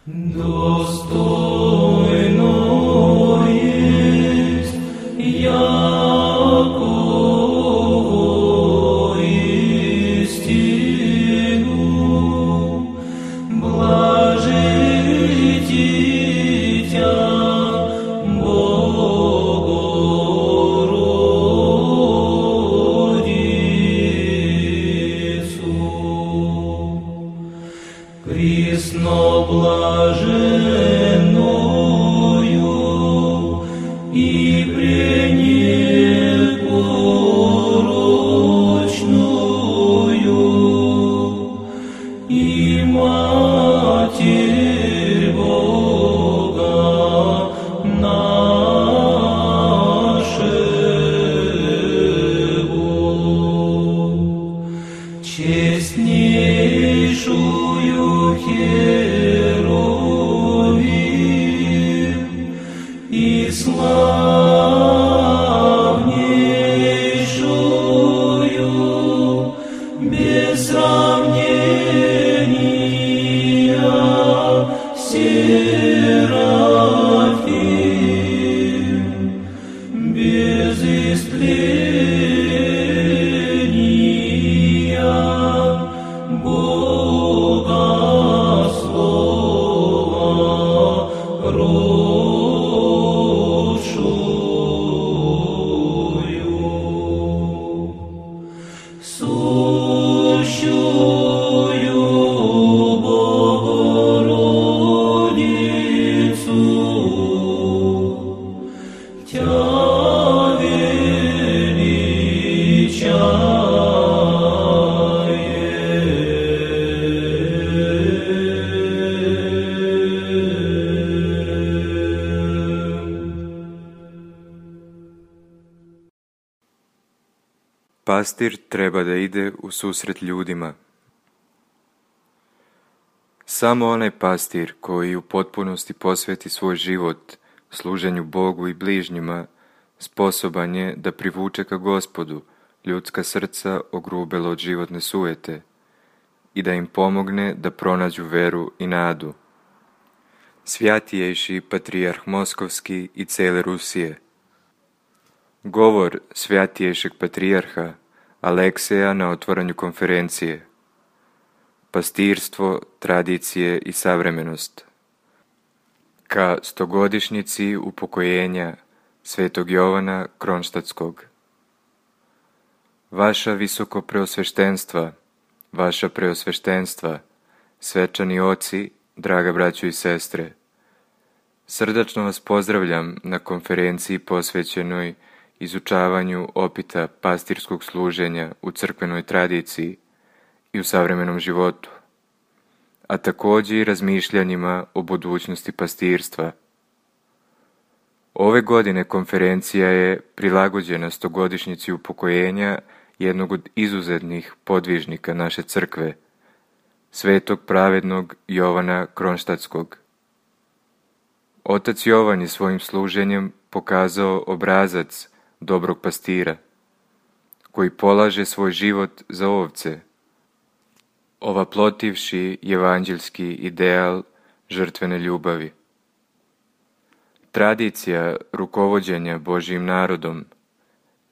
Достойно есть яко истину, блажи дитя Богородицу. Присно блаженною и пренепорочную, и Матерь Бога нашего, честнейшую Херувим и славнейшую без сравнения Серафим, без истления Бога Слова родшую, сущую Богородицу, Тя Pastir treba da ide u susret ljudima. Samo onaj pastir koji u potpunosti posveti svoj život služenju Bogu i bližnjima sposoban je da privuče ka Gospodu ljudska srca ogrubela od životne sujete i da im pomogne da pronađu veru i nadu. Svjatijejši patrijarh Moskovski i cele Rusije. Govor svjatijejšeg patrijarha Alekseja na otvaranju konferencije. Pastirstvo, tradicije i savremenost. Ka 100-godišnjici upokojenja Svetog Jovana Kronštatskog. Vaša visoko preosveštenstva, vaša preosveštenstva, svečani oci, draga braćo i sestre, srdačno vas pozdravljam na konferenciji posvećenoj izučavanju opita pastirskog služenja u crkvenoj tradiciji i u savremenom životu, a također i razmišljanjima o budućnosti pastirstva. Ove godine konferencija je prilagođena 100-godišnjici upokojenja jednog od izuzetnih podvižnika naše crkve, svetog pravednog Jovana Kronštatskog. Otac Jovan je svojim služenjem pokazao obrazac dobrog pastira, koji polaže svoj život za ovce, ovaplotivši evanđelski ideal žrtvene ljubavi. Tradicija rukovođenja Božjim narodom,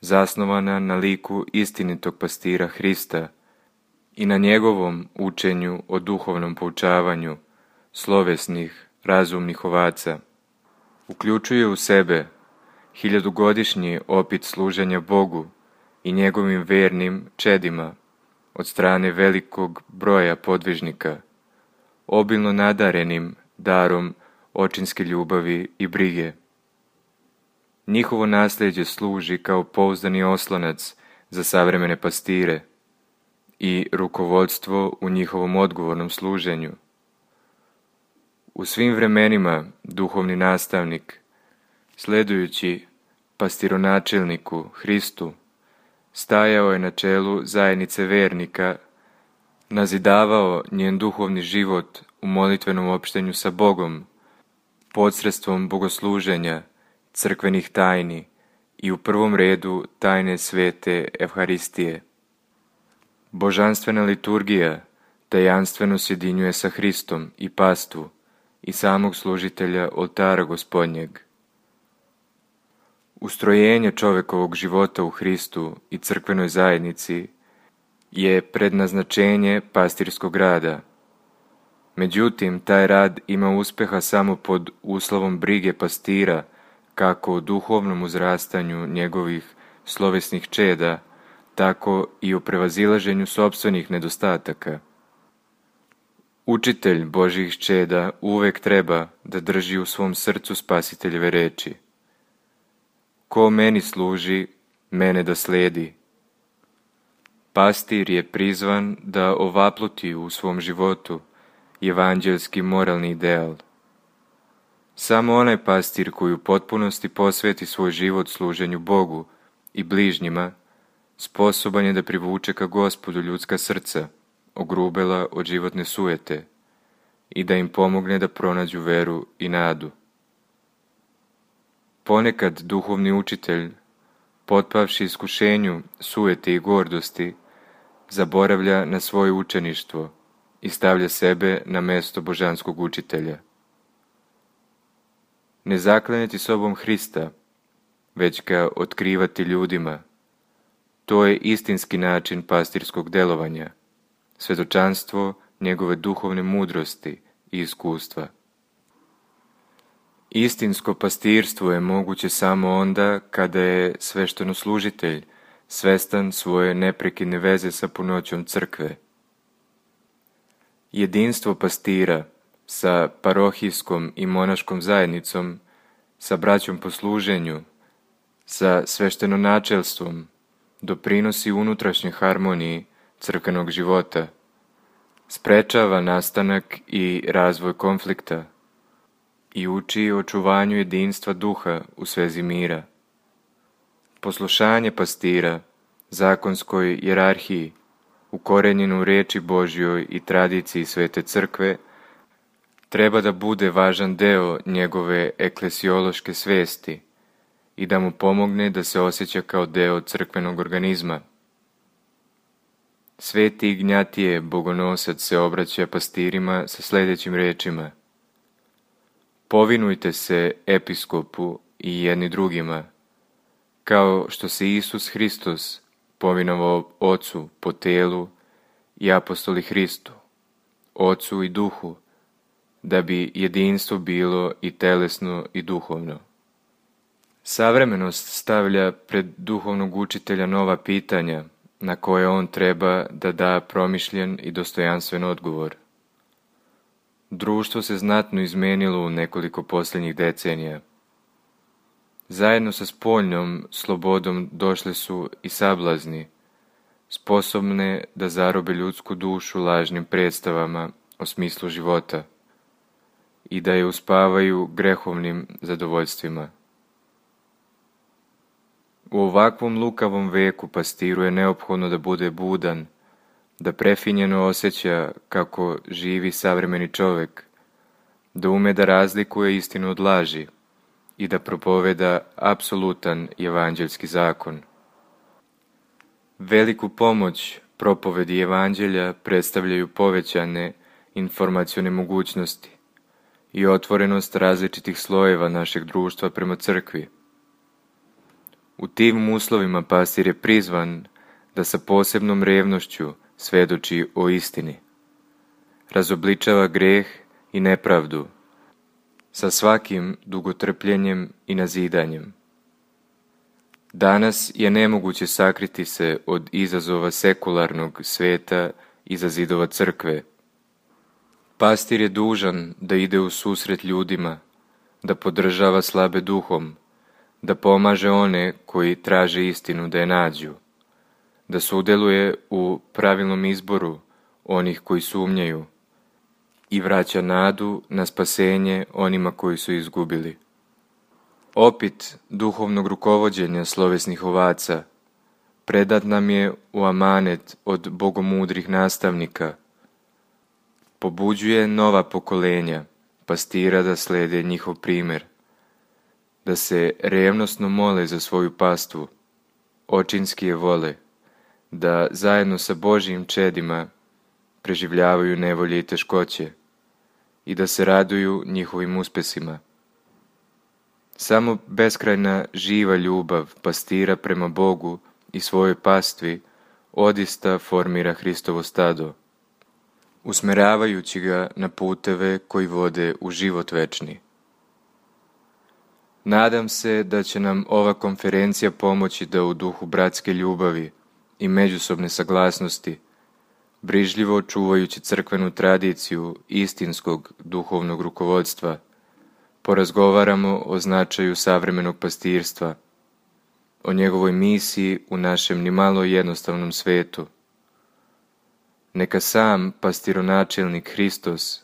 zasnovana na liku istinitog pastira Hrista i na njegovom učenju o duhovnom poučavanju slovesnih, razumnih ovaca, uključuje u sebe 1000-godišnji opit služenja Bogu i njegovim vernim čedima od strane velikog broja podvižnika, obilno nadarenim darom očinske ljubavi i brige. Njihovo nasljeđe služi kao pouzdani oslonac za savremene pastire i rukovodstvo u njihovom odgovornom služenju. U svim vremenima duhovni nastavnik, sledujući pastironačelniku Hristu, stajao je na čelu zajednice vernika, nazidavao njen duhovni život u molitvenom opštenju sa Bogom, posredstvom bogosluženja, crkvenih tajni i u prvom redu tajne svete Evharistije. Božanstvena liturgija tajanstveno sjedinjuje sa Hristom i pastvu i samog služitelja oltara Gospodnjeg. Ustrojenje čovekovog života u Hristu i crkvenoj zajednici je prednaznačenje pastirskog rada. Međutim, taj rad ima uspeha samo pod uslovom brige pastira, kako o duhovnom uzrastanju njegovih slovesnih čeda, tako i o prevazilaženju sopstvenih nedostataka. Učitelj Božjih čeda uvek treba da drži u svom srcu Spasiteljeve reči: ko meni služi, mene da sledi. Pastir je prizvan da ovapluti u svom životu evanđelski moralni ideal. Samo onaj pastir koji u potpunosti posveti svoj život služenju Bogu i bližnjima, sposoban je da privuče ka Gospodu ljudska srca, ogrubela od životne sujete, i da im pomogne da pronađu veru i nadu. Ponekad duhovni učitelj, potpavši iskušenju sujete i gordosti, zaboravlja na svoje učeništvo i stavlja sebe na mesto božanskog učitelja. Ne zaklanjati sobom Hrista, već ga otkrivati ljudima, to je istinski način pastirskog delovanja, svedočanstvo njegove duhovne mudrosti i iskustva. Istinsko pastirstvo je moguće samo onda kada je sveštenoslужitelj svestan svoje neprekidne veze sa punoćom crkve. Jedinstvo pastira sa parohijskom i monaškom zajednicom, sa braćom po služenju, sa sveštenonačelstvom doprinosi unutrašnjoj harmoniji crkvenog života, sprečava nastanak i razvoj konflikta i uči očuvanju jedinstva duha u svezi mira. Poslušanje pastira zakonskoj jerarhiji, ukorenjenu u reči Božjoj i tradiciji Svete crkve, treba da bude važan deo njegove eklesiološke svesti i da mu pomogne da se osjeća kao deo crkvenog organizma. Sveti Ignjatije Bogonosac se obraća pastirima sa sljedećim rečima: povinujte se episkopu i jedni drugima, kao što se Isus Hristos povinovao Ocu po telu i apostoli Hristu, Ocu i Duhu, da bi jedinstvo bilo i telesno i duhovno. Savremenost stavlja pred duhovnog učitelja nova pitanja na koje on treba da da promišljen i dostojanstven odgovor. Društvo se znatno izmenilo u nekoliko posljednjih decenija. Zajedno sa spoljnom slobodom došle su i sablazni, sposobne da zarobe ljudsku dušu lažnim predstavama o smislu života i da je uspavaju grehovnim zadovoljstvima. U ovakvom lukavom veku pastiru je neophodno da bude budan, da prefinjeno osjeća kako živi savremeni čovek, da ume da razlikuje istinu od laži i da propoveda apsolutan evanđelski zakon. Veliku pomoć propovedi evanđelja predstavljaju povećane informacione mogućnosti i otvorenost različitih slojeva našeg društva prema crkvi. U tim uslovima pastir je prizvan da sa posebnom revnošću svedoči o istini, razobličava greh i nepravdu, sa svakim dugotrpljenjem i nazidanjem. Danas je nemoguće sakriti se od izazova sekularnog sveta iza zidova crkve. Pastir je dužan da ide u susret ljudima, da podržava slabe duhom, da pomaže one koji traže istinu da je nađu, da sudjeluje u pravilnom izboru onih koji sumnjaju i vraća nadu na spasenje onima koji su izgubili. Opit duhovnog rukovođenja slovesnih ovaca predat nam je u amanet od bogomudrih nastavnika. Pobuđuje nova pokolenja pastira da slede njihov primer, da se revnosno mole za svoju pastvu, očinski je vole, da zajedno sa Božjim čedima preživljavaju nevolje i teškoće i da se raduju njihovim uspesima. Samo beskrajna živa ljubav pastira prema Bogu i svojoj pastvi odista formira Hristovo stado, usmeravajući ga na puteve koji vode u život večni. Nadam se da će nam ova konferencija pomoći da u duhu bratske ljubavi i međusobne saglasnosti, brižljivo čuvajući crkvenu tradiciju istinskog duhovnog rukovodstva, porazgovaramo o značaju savremenog pastirstva, o njegovoj misiji u našem nimalo jednostavnom svetu. Neka sam pastironačelnik Hristos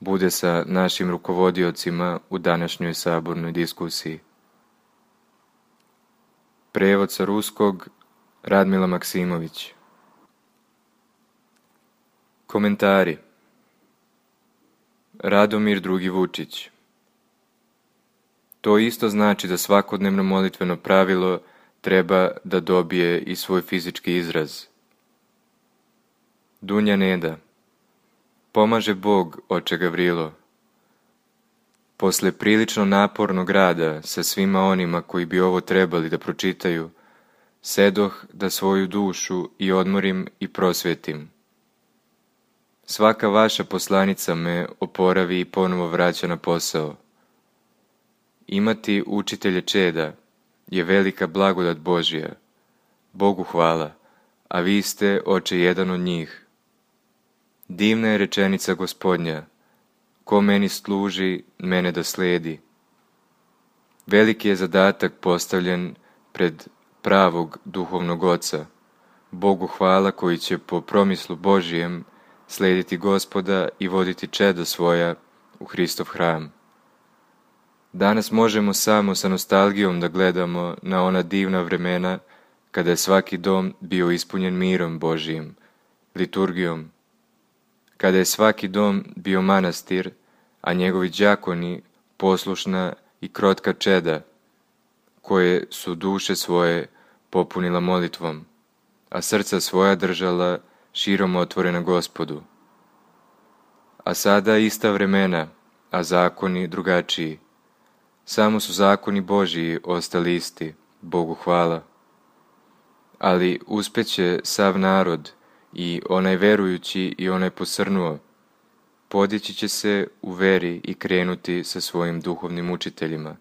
bude sa našim rukovodiocima u današnjoj sabornoj diskusiji. Prevod sa ruskog Radmila Maksimović. Komentari. Radomir II. Vučić. To isto znači da svakodnevno molitveno pravilo treba da dobije i svoj fizički izraz. Dunja Neda. Pomaže Bog, oče Gavrilo. Posle prilično napornog rada sa svima onima koji bi ovo trebali da pročitaju, sedoh da svoju dušu i odmorim i prosvetim. Svaka vaša poslanica me oporavi i ponovo vraća na posao. Imati učitelje čeda je velika blagodat Božja. Bogu hvala, a vi ste, oče, jedan od njih. Divna je rečenica Gospodnja, ko meni služi, mene da sledi. Veliki je zadatak postavljen pred pravog duhovnog oca, Bogu hvala koji će po promislu Božijem slediti Gospoda i voditi čeda svoja u Hristov hram. Danas možemo samo sa nostalgijom da gledamo na ona divna vremena kada je svaki dom bio ispunjen mirom Božijim, liturgijom, kada je svaki dom bio manastir, a njegovi đakoni poslušna i krotka čeda, koje su duše svoje popunila molitvom, a srca svoja držala širom otvorena Gospodu. A sada ista vremena, a zakoni drugačiji. Samo su zakoni Božiji ostali isti, Bogu hvala. Ali uspeće sav narod, i onaj verujući i onaj posrnuo, podići će se u veri i krenuti sa svojim duhovnim učiteljima.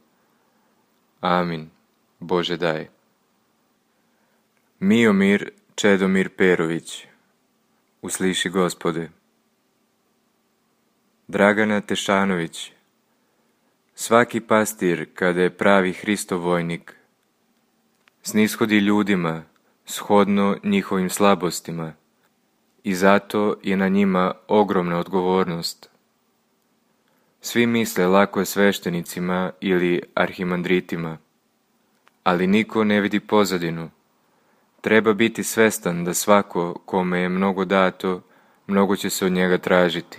Amin. Bože daj. Miomir Čedomir Perović. Usliši Gospode. Dragana Tešanović. Svaki pastir, kada je pravi Hristov vojnik, snishodi ljudima shodno njihovim slabostima, i zato je na njima ogromna odgovornost. Svi misle lako je sveštenicima ili arhimandritima, ali niko ne vidi pozadinu. Treba biti svestan da svako kome je mnogo dato, mnogo će se od njega tražiti.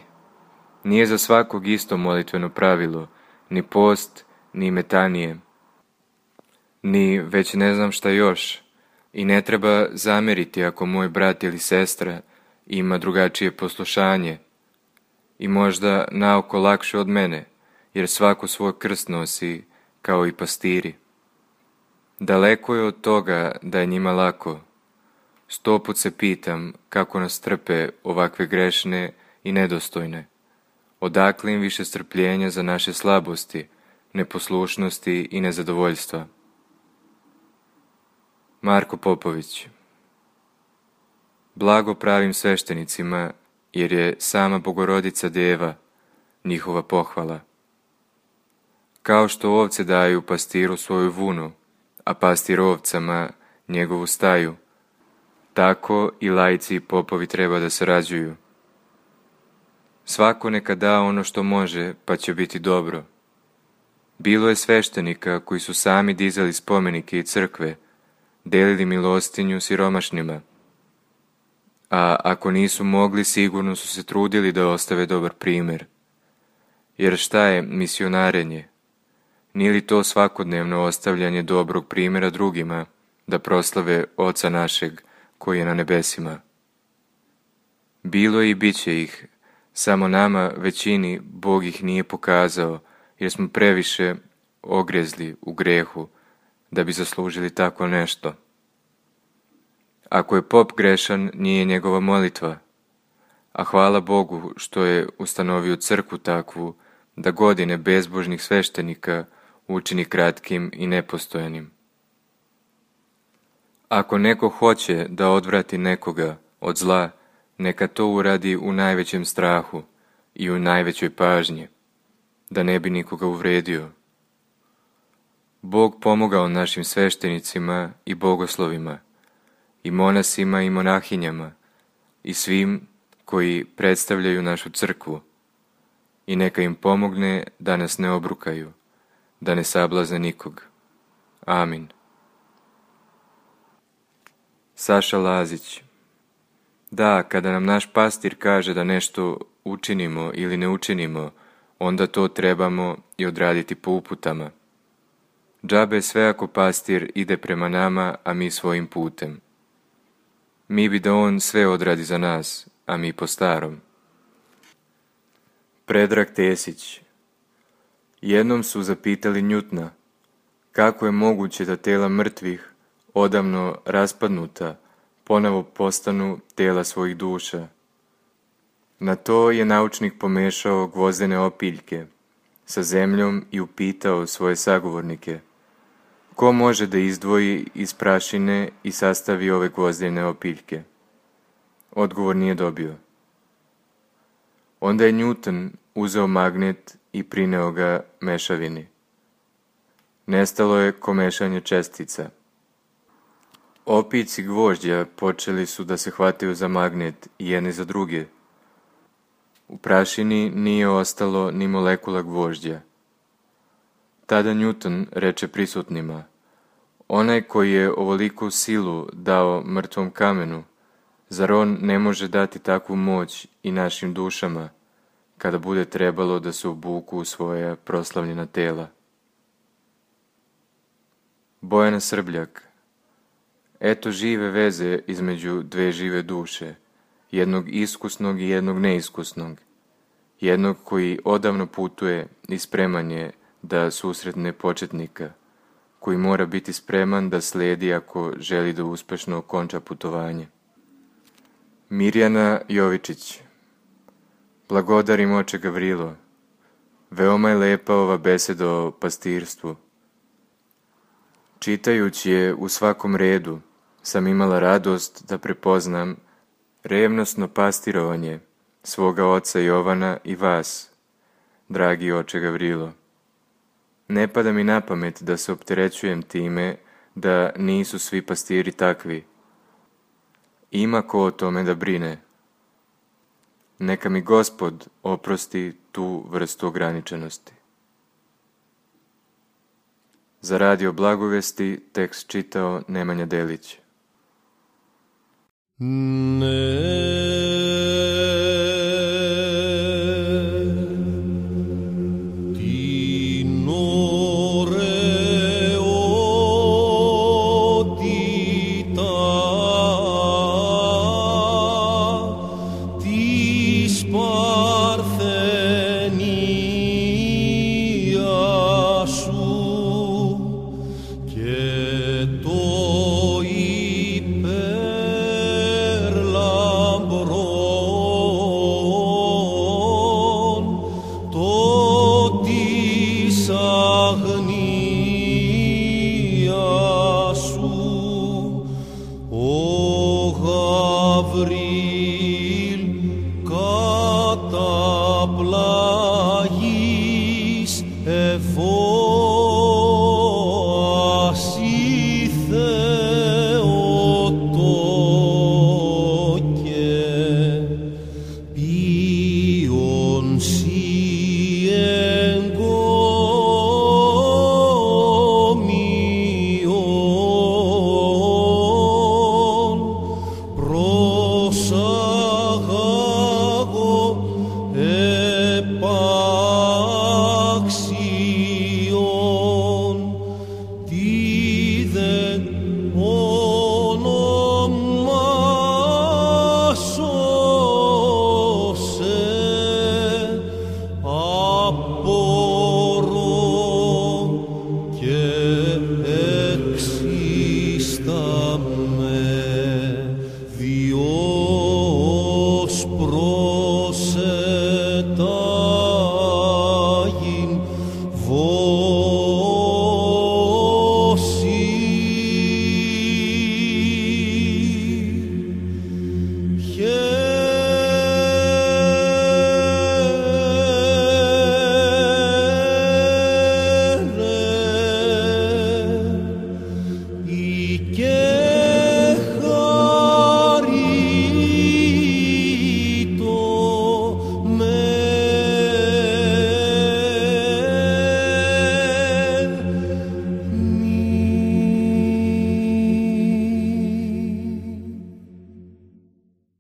Nije za svakog isto molitveno pravilo, ni post, ni metanije, ni već ne znam šta još, i ne treba zameriti ako moj brat ili sestra ima drugačije poslušanje i možda naoko lakše od mene, jer svako svoj krst nosi kao i pastiri. Daleko je od toga da je njima lako. 100 put se pitam kako nas trpe ovakve grešne i nedostojne. Odakle im više strpljenja za naše slabosti, neposlušnosti i nezadovoljstva. Marko Popović. Blago pravim sveštenicima, jer je sama Bogorodica Deva njihova pohvala. Kao što ovce daju pastiru svoju vunu, a pastir ovcama njegovu staju, tako i laici i popovi treba da sarađuju. Svako neka da ono što može, pa će biti dobro. Bilo je sveštenika koji su sami dizali spomenike i crkve, delili milostinju siromašnima, a ako nisu mogli, sigurno su se trudili da ostave dobar primjer. Jer šta je misionarenje? Nije li to svakodnevno ostavljanje dobrog primjera drugima, da proslave Oca našeg koji je na nebesima? Bilo je i bit će ih, Samo nama, većini, Bog ih nije pokazao, jer smo previše ogrezli u grehu da bi zaslužili tako nešto. Ako je pop grešan, nije njegova molitva, a hvala Bogu što je ustanovio crkvu takvu da godine bezbožnih sveštenika učini kratkim i nepostojanim. Ako neko hoće da odvrati nekoga od zla, neka to uradi u najvećem strahu i u najvećoj pažnji, da ne bi nikoga uvredio. Bog pomogao našim sveštenicima i bogoslovima, i monasima i monahinjama, i svim koji predstavljaju našu crkvu, i neka im pomogne da nas ne obrukaju, da ne sablazne nikog. Amin. Saša Lazić. Da, kada nam naš pastir kaže da nešto učinimo ili ne učinimo, onda to trebamo i odraditi po uputama. Džabe sve ako pastir ide prema nama, a mi svojim putem. Mi bi da on sve odradi za nas, a mi po starom. Predrag Tesić. Jednom su zapitali Njutna kako je moguće da tela mrtvih, odavno raspadnuta, ponovo postanu tela svojih duša. Na to je naučnik pomešao gvozdene opiljke sa zemljom i upitao svoje sagovornike: ko može da izdvoji iz prašine i sastavi ove gvozdene opiljke? Odgovor nije dobio. Onda je Newton uzeo magnet i prineo ga mešavini. Nestalo je ko mešanje čestica. Opiljci gvožđa počeli su da se hvataju za magnet i jedni za druge. U prašini nije ostalo ni molekula gvožđa. Tada Newton reče prisutnima: onaj koji je ovoliku silu dao mrtvom kamenu, zar on ne može dati takvu moć i našim dušama, kada bude trebalo da se obuku u svoja proslavljena tela? Bojana Srbljak. Eto žive veze između dve žive duše, jednog iskusnog i jednog neiskusnog, jednog koji odavno putuje i spreman je da susretne početnika, koji mora biti spreman da sledi ako želi da uspešno okonča putovanje. Mirjana Jovičić. Blagodarim oče Gavrilo, veoma je lepa ova beseda o pastirstvu. Čitajući je u svakom redu, sam imala radost da prepoznam revnosno pastirovanje svoga oca Jovana i vas, dragi oče Gavrilo. Ne pada mi na pamet da se opterećujem time da nisu svi pastiri takvi. Ima ko o tome da brine. Neka mi Gospod oprosti tu vrstu ograničenosti. Za Radio Blagovesti tekst čitao Nemanja Delić. Επαξιό και εξίσταμε Διός πρόσετα